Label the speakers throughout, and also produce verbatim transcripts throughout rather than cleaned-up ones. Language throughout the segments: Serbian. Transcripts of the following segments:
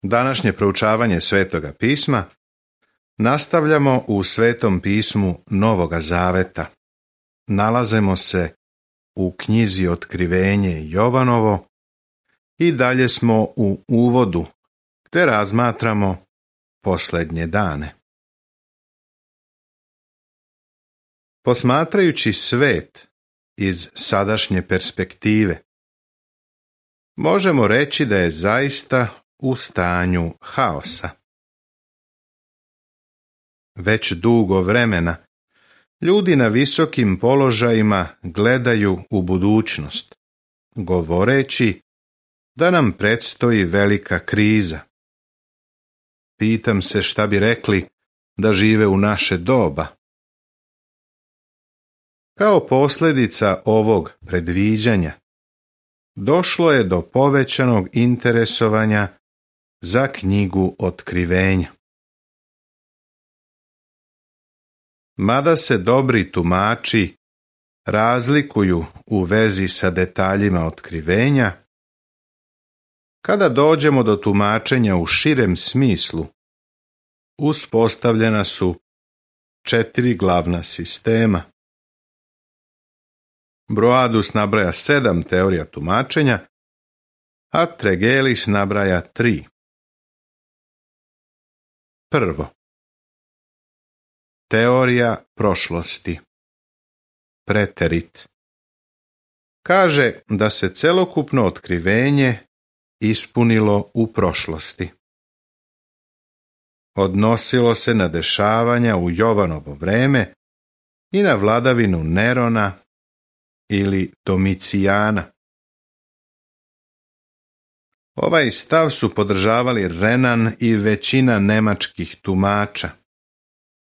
Speaker 1: Današnje proučavanje Svetoga pisma nastavljamo u Svetom pismu Novoga Zaveta. Nalazimo se u knjizi Otkrivenje Jovanovo i dalje smo u uvodu gdje razmatramo posljednje dane. Posmatrajući svet iz sadašnje perspektive, možemo reći da je zaista u stanju haosa. Već dugo vremena ljudi na visokim položajima gledaju u budućnost, govoreći da nam predstoji velika kriza. Pitam se šta bi rekli da žive u naše doba. Kao posljedica ovog predviđanja došlo je do povećanog interesovanja za knjigu Otkrivenja. Mada se dobri tumači razlikuju u vezi sa detaljima otkrivenja, kada dođemo do tumačenja u širem smislu, uspostavljena su četiri glavna sistema. Broadus nabraja sedam teorija tumačenja, a Tregelles nabraja tri. Prvo. Teorija prošlosti. Preterit. Kaže da se celokupno otkrivenje ispunilo u prošlosti. Odnosilo se na dešavanja u Jovanovo vreme i na vladavinu Nerona ili Domicijana. Ovaj stav su podržavali Renan i većina nemačkih tumača,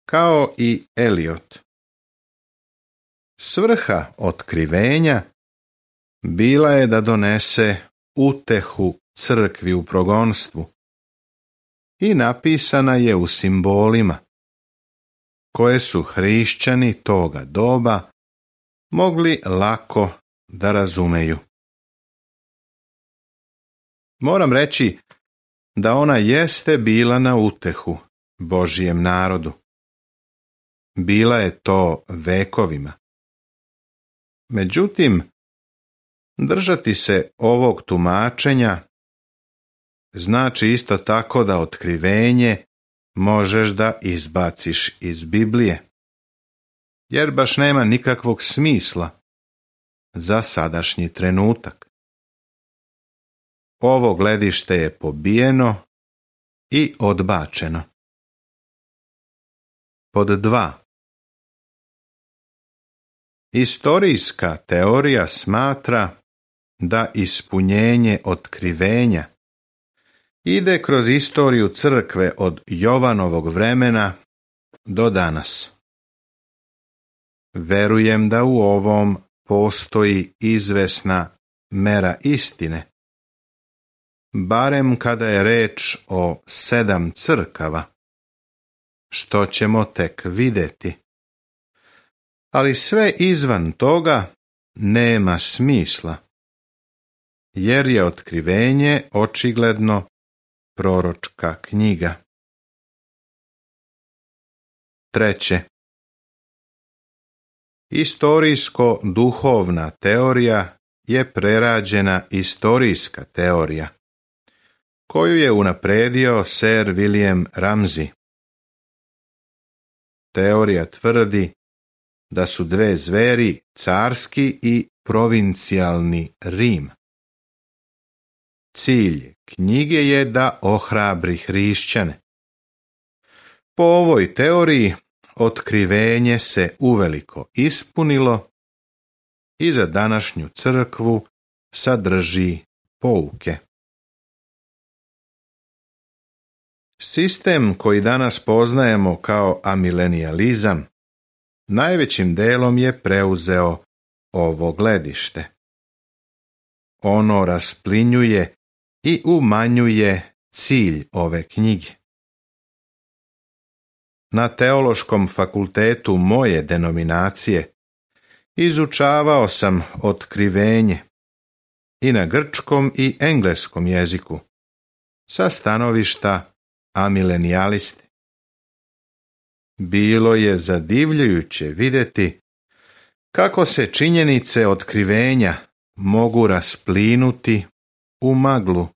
Speaker 1: kao i Eliot. Svrha otkrivenja bila je da donese utehu crkvi u progonstvu i napisana je u simbolima, koje su hrišćani toga doba mogli lako da razumeju. Moram reći da ona jeste bila na utehu Božijem narodu. Bila je to vekovima. Međutim, držati se ovog tumačenja znači isto tako da otkrivenje možeš da izbaciš iz Biblije, jer baš nema nikakvog smisla za sadašnji trenutak. Ovo gledište je pobijeno i odbačeno. Pod dva. Istorijska teorija smatra da ispunjenje otkrivenja ide kroz istoriju crkve od Jovanovog vremena do danas. Verujem da u ovom postoji izvesna mera istine, barem kada je reč o sedam crkava, što ćemo tek vidjeti. Ali sve izvan toga nema smisla, jer je otkrivenje očigledno proročka knjiga. Treće. Istorijsko-duhovna teorija je prerađena istorijska teorija, koju je unapredio Sir William Ramsay. Teorija tvrdi da su dve zveri carski i provincijalni Rim. Cilj knjige je da ohrabri hrišćane. Po ovoj teoriji otkrivenje se uveliko ispunilo i za današnju crkvu sadrži pouke. Sistem koji danas poznajemo kao amilenijalizam najvećim delom je preuzeo ovo gledište. Ono rasplinjuje i umanjuje cilj ove knjige. Na teološkom fakultetu moje denominacije izučavao sam otkrivenje i na grčkom i engleskom jeziku, sa stanovišta amilenijalisti. Bilo je zadivljujuće vidjeti kako se činjenice otkrivenja mogu rasplinuti u maglu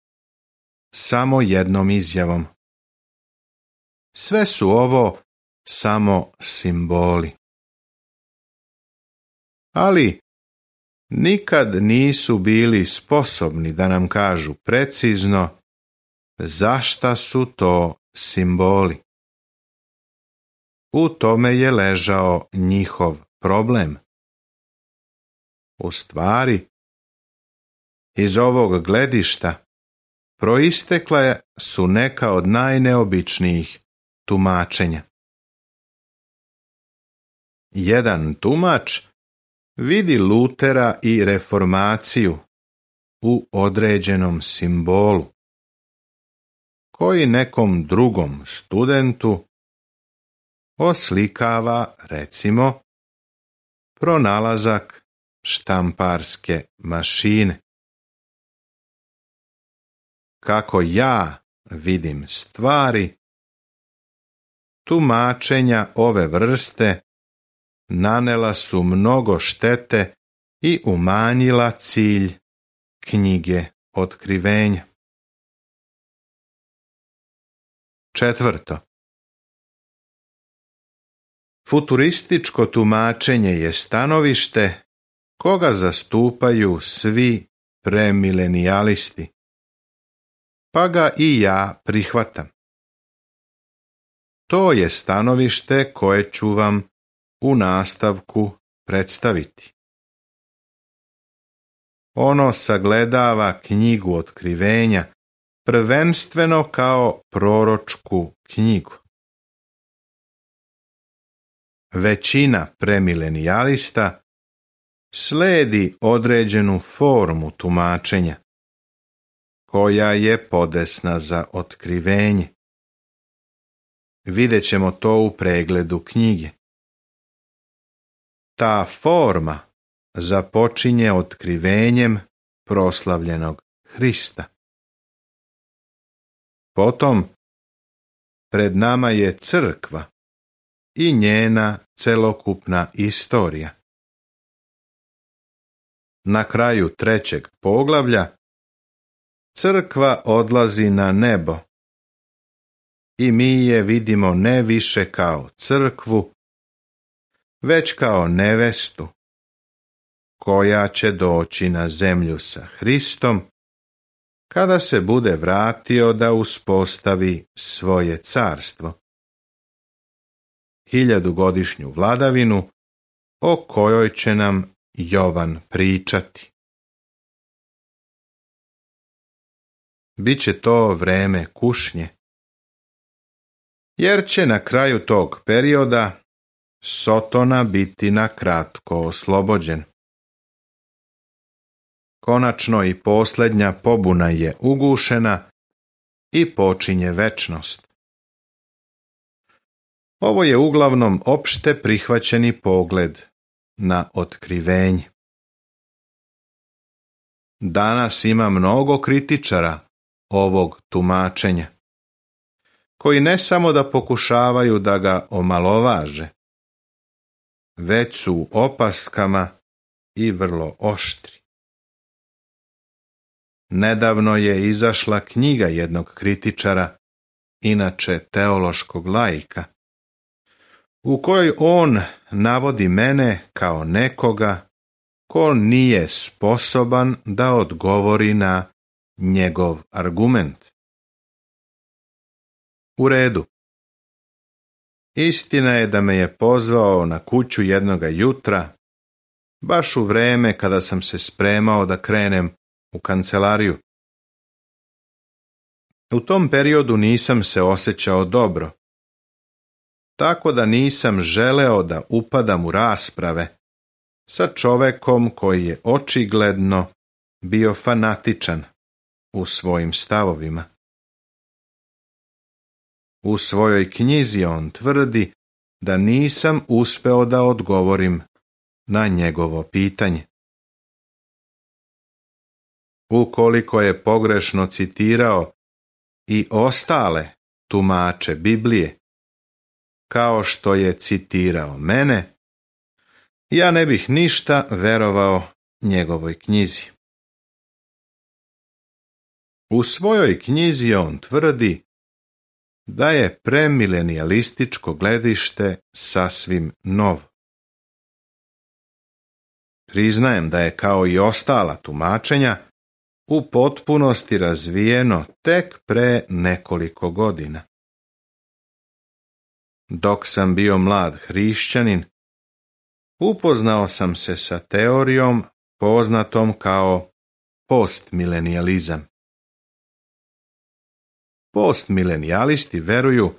Speaker 1: samo jednom izjavom. Sve su ovo samo simboli. Ali nikad nisu bili sposobni da nam kažu precizno zašta su to simboli. U tome je ležao njihov problem. U stvari, iz ovog gledišta proistekla su neka od najneobičnijih tumačenja. Jedan tumač vidi Lutera i reformaciju u određenom simbolu, koji nekom drugom studentu oslikava, recimo, pronalazak štamparske mašine. Kako ja vidim stvari, tumačenja ove vrste nanela su mnogo štete i umanjila cilj knjige Otkrivenja. Četvrto. Futurističko tumačenje je stanovište koga zastupaju svi premilenijalisti, pa ga i ja prihvatam. To je stanovište koje ću vam u nastavku predstaviti. Ono sagledava knjigu Otkrivenja prvenstveno kao proročku knjigu. Većina premilenijalista slijedi određenu formu tumačenja, koja je podesna za otkrivenje. Vidjet ćemo to u pregledu knjige. Ta forma započinje otkrivenjem proslavljenog Hrista. Potom, pred nama je crkva i njena celokupna istorija. Na kraju trećeg poglavlja crkva odlazi na nebo i mi je vidimo ne više kao crkvu, već kao nevestu koja će doći na zemlju sa Hristom kada se bude vratio da uspostavi svoje carstvo. Hiljadugodišnju vladavinu o kojoj će nam Jovan pričati. Biće to vreme kušnje, jer će na kraju tog perioda Sotona biti na kratko oslobođen. Konačno i posljednja pobuna je ugušena i počinje večnost. Ovo je uglavnom opšte prihvaćeni pogled na otkrivenje. Danas ima mnogo kritičara ovog tumačenja, koji ne samo da pokušavaju da ga omalovaže, već su u opaskama i vrlo oštri. Nedavno je izašla knjiga jednog kritičara, inače teološkog laika, u kojoj on navodi mene kao nekoga ko nije sposoban da odgovori na njegov argument. U redu. Istina je da me je pozvao na kuću jednoga jutra, baš u vreme kada sam se spremao da krenem u kancelariju. U tom periodu nisam se osjećao dobro, tako da nisam želeo da upadam u rasprave sa čovekom koji je očigledno bio fanatičan u svojim stavovima. U svojoj knjizi on tvrdi da nisam uspeo da odgovorim na njegovo pitanje. Ukoliko je pogrešno citirao i ostale tumače Biblije, kao što je citirao mene, ja ne bih ništa verovao njegovoj knjizi. U svojoj knjizi on tvrdi da je premilenijalističko gledište sasvim novo. Priznajem da je kao i ostala tumačenja u potpunosti razvijeno tek pre nekoliko godina. Dok sam bio mlad hrišćanin, upoznao sam se sa teorijom poznatom kao postmilenijalizam. Postmilenijalisti veruju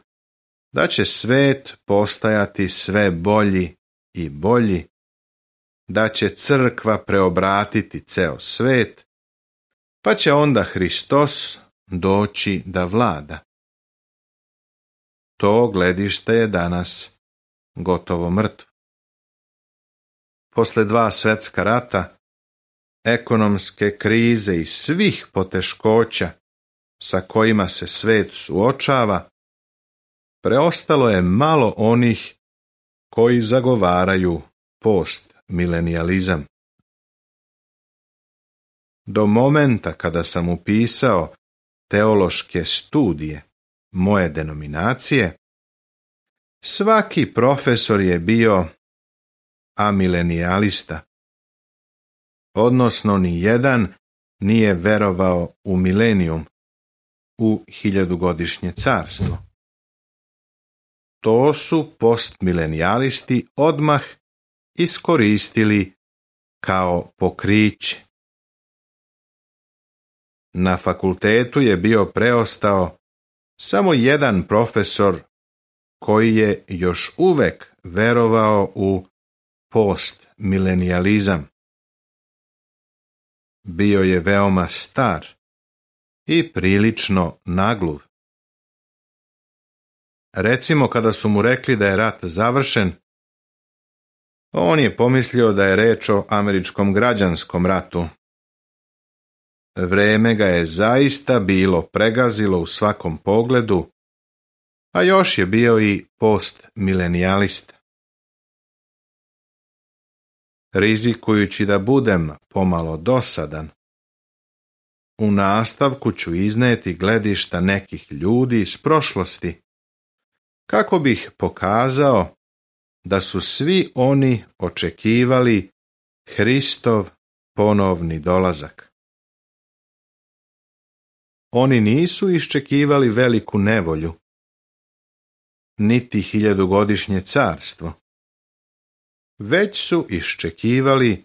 Speaker 1: da će svet postajati sve bolji i bolji, da će crkva preobratiti ceo svet, pa će onda Hristos doći da vlada. To gledište je danas gotovo mrtvo. Posle dva svjetska rata, ekonomske krize i svih poteškoća sa kojima se svet suočava, preostalo je malo onih koji zagovaraju postmilenijalizam. Do momenta kada sam upisao teološke studije moje denominacije, svaki profesor je bio amilenijalista, odnosno ni jedan nije verovao u milenijum, u hiljadugodišnje carstvo. To su postmilenijalisti odmah iskoristili kao pokriće. Na fakultetu je bio preostao samo jedan profesor koji je još uvek verovao u postmilenijalizam. Bio je veoma star i prilično nagluv. Recimo, kada su mu rekli da je rat završen, on je pomislio da je reč o američkom građanskom ratu. Vreme ga je zaista bilo pregazilo u svakom pogledu, a još je bio i postmilenijalista. Rizikujući da budem pomalo dosadan, u nastavku ću izneti gledišta nekih ljudi iz prošlosti, kako bih pokazao da su svi oni očekivali Hristov ponovni dolazak. Oni nisu iščekivali veliku nevolju, niti hiljadugodišnje carstvo, već su iščekivali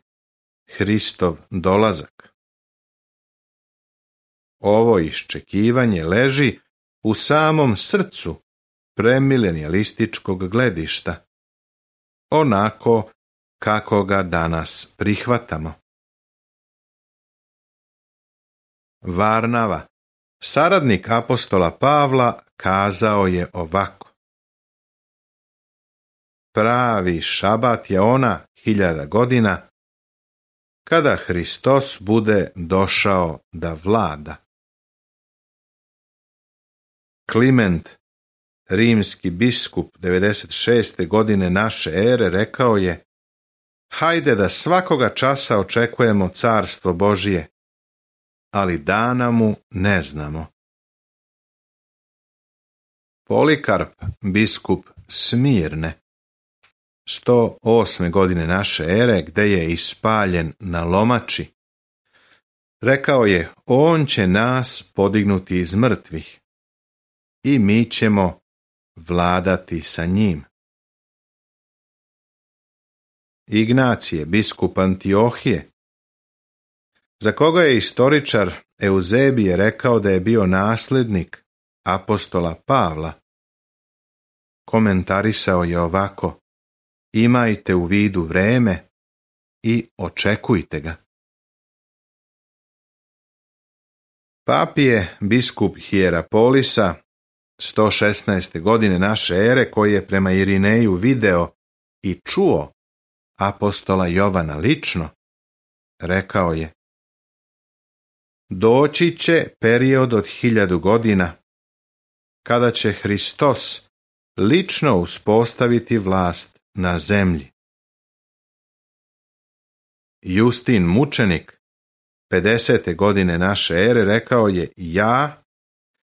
Speaker 1: Hristov dolazak. Ovo iščekivanje leži u samom srcu premilenijalističkog gledišta, onako kako ga danas prihvatamo. Varnava, saradnik apostola Pavla, kazao je ovako: pravi šabat je ona hiljada godina kada Hristos bude došao da vlada. Kliment, rimski biskup devedeset šeste godine naše ere, rekao je: hajde da svakoga časa očekujemo carstvo Božije, ali dana mu ne znamo. Polikarp, biskup Smirne, sto osme godine naše ere, gde je ispaljen na lomači, rekao je: on će nas podignuti iz mrtvih i mi ćemo vladati sa njim. Ignacije, biskup Antiohije, za koga je istoričar Euzebije rekao da je bio naslednik apostola Pavla, komentarisao je ovako: imajte u vidu vreme i očekujte ga. Papije, biskup Hierapolisa, sto šesnaeste godine naše ere, koji je prema Irineju video i čuo apostola Jovana lično, rekao je: doći će period od hiljadu godina kada će Hristos lično uspostaviti vlast na zemlji. Justin mučenik, pedesete godine naše ere, rekao je: ja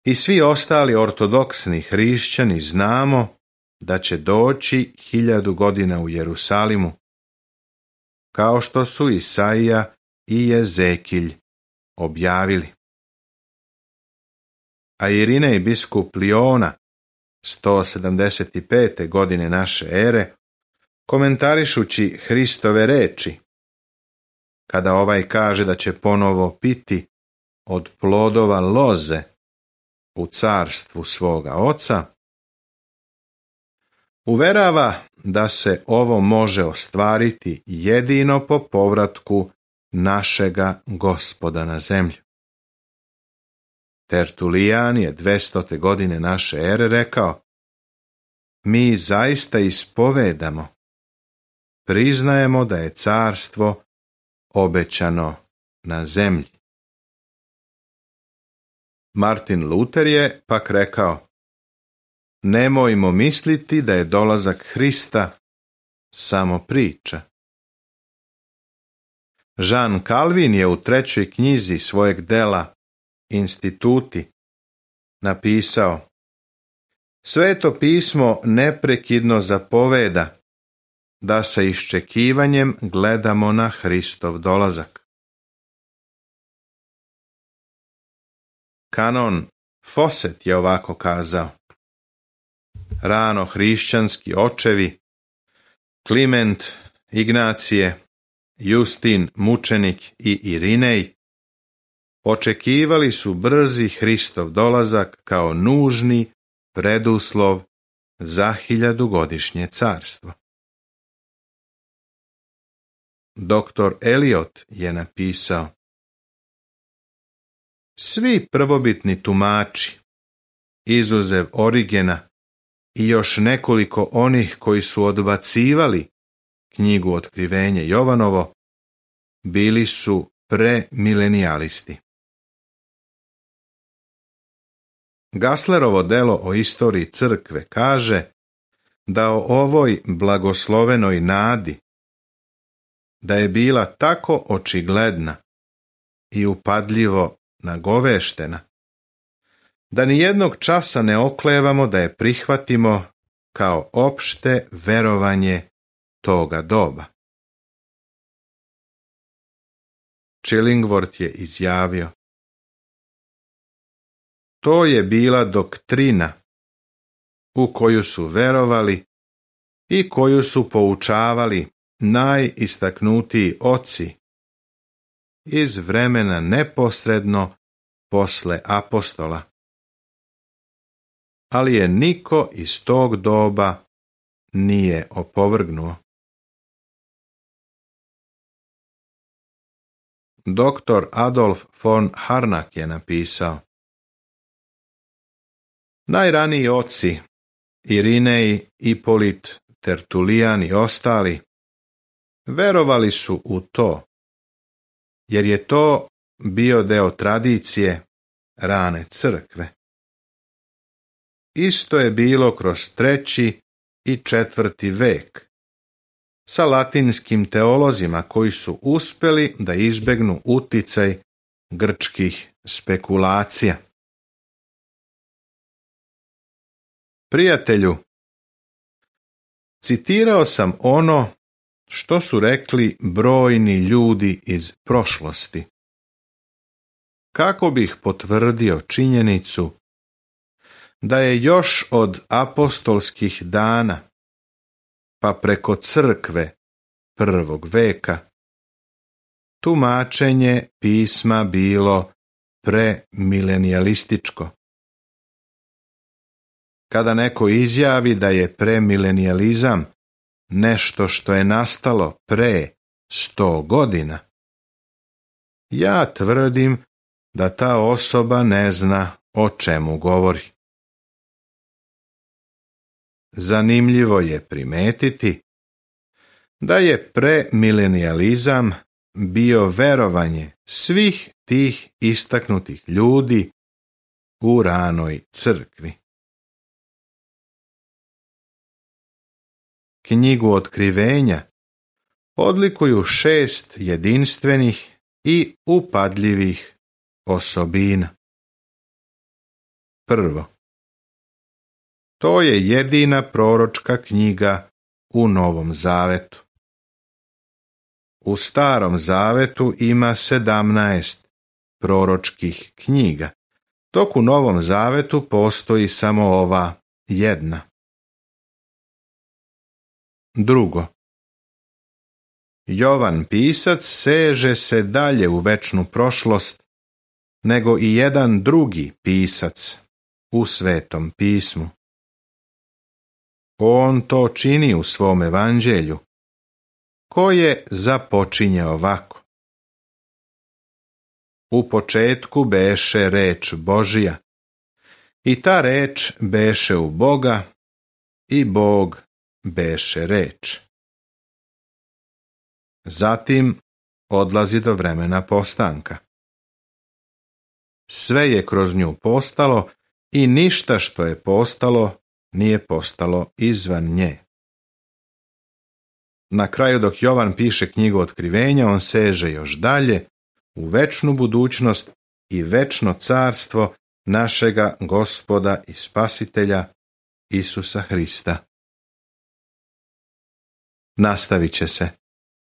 Speaker 1: i svi ostali ortodoksni hrišćani znamo da će doći hiljadu godina u Jerusalimu, kao što su Isaija i Jezekilj objavili. A Irinej biskup Liona, sto sedamdeset pete godine naše ere, komentarišući Hristove reči, kada ovaj kaže da će ponovo piti od plodova loze u carstvu svoga oca, uverava da se ovo može ostvariti jedino po povratku našega Gospoda na zemlju. Tertulijan je dvestote godine naše ere rekao: mi zaista ispovedamo, priznajemo da je carstvo obećano na zemlji. Martin Luter je pak rekao: nemojmo misliti da je dolazak Hrista samo priča. Jean Calvin je u trećoj knjizi svojeg dela Instituti napisao: Sveto pismo neprekidno zapoveda da sa iščekivanjem gledamo na Hristov dolazak. Kanon Fawcett je ovako kazao: rano hrišćanski očevi Kliment, Ignacije, Justin mučenik i Irinej očekivali su brzi Hristov dolazak kao nužni preduslov za hiljadugodišnje carstvo. Doktor Eliot je napisao: svi prvobitni tumači, izuzev Origena i još nekoliko onih koji su odbacivali knjigu Otkrivenje Jovanovo, bili su premilenijalisti. Gasslerovo delo o istoriji crkve kaže da o ovoj blagoslovenoj nadi, da je bila tako očigledna i upadljivo nagoveštena, da ni jednog časa ne oklevamo da je prihvatimo kao opšte verovanje toga doba. Chillingworth je izjavio: to je bila doktrina u koju su verovali i koju su poučavali najistaknutiji oci iz vremena neposredno posle apostola. Ali je niko iz tog doba nije opovrgnuo. Doktor Adolf von Harnack je napisao: najraniji oci, Irinej, Ipolit, Tertulijan i ostali, verovali su u to, jer je to bio deo tradicije rane crkve. Isto je bilo kroz treći i četvrti vek, sa latinskim teolozima koji su uspjeli da izbegnu uticaj grčkih spekulacija. Prijatelju, citirao sam ono što su rekli brojni ljudi iz prošlosti, kako bih potvrdio činjenicu da je još od apostolskih dana pa preko crkve prvog veka tumačenje pisma bilo premilenijalističko. Kada neko izjavi da je premilenijalizam nešto što je nastalo pre sto godina, ja tvrdim da ta osoba ne zna o čemu govori. Zanimljivo je primetiti da je premilenijalizam bio verovanje svih tih istaknutih ljudi u ranoj crkvi. knjigu Otkrivenja odlikuju šest jedinstvenih i upadljivih osobina. Prvo, to je jedina proročka knjiga u Novom Zavetu. U Starom Zavetu ima sedamnaest proročkih knjiga, dok u Novom Zavetu postoji samo ova jedna. Drugo, Jovan pisac seže se dalje u večnu prošlost nego i jedan drugi pisac u Svetom pismu. On to čini u svom evanđelju, koje započinje ovako. U početku beše reč Božija, i ta reč beše u Boga, i Bog beše reč. Zatim odlazi do vremena postanka. Sve je kroz nju postalo i ništa što je postalo nije postalo izvan nje. Na kraju, dok Jovan piše knjigu Otkrivenja, on seže još dalje u večnu budućnost i večno carstvo našega Gospoda i Spasitelja Isusa Hrista. Nastavit će se.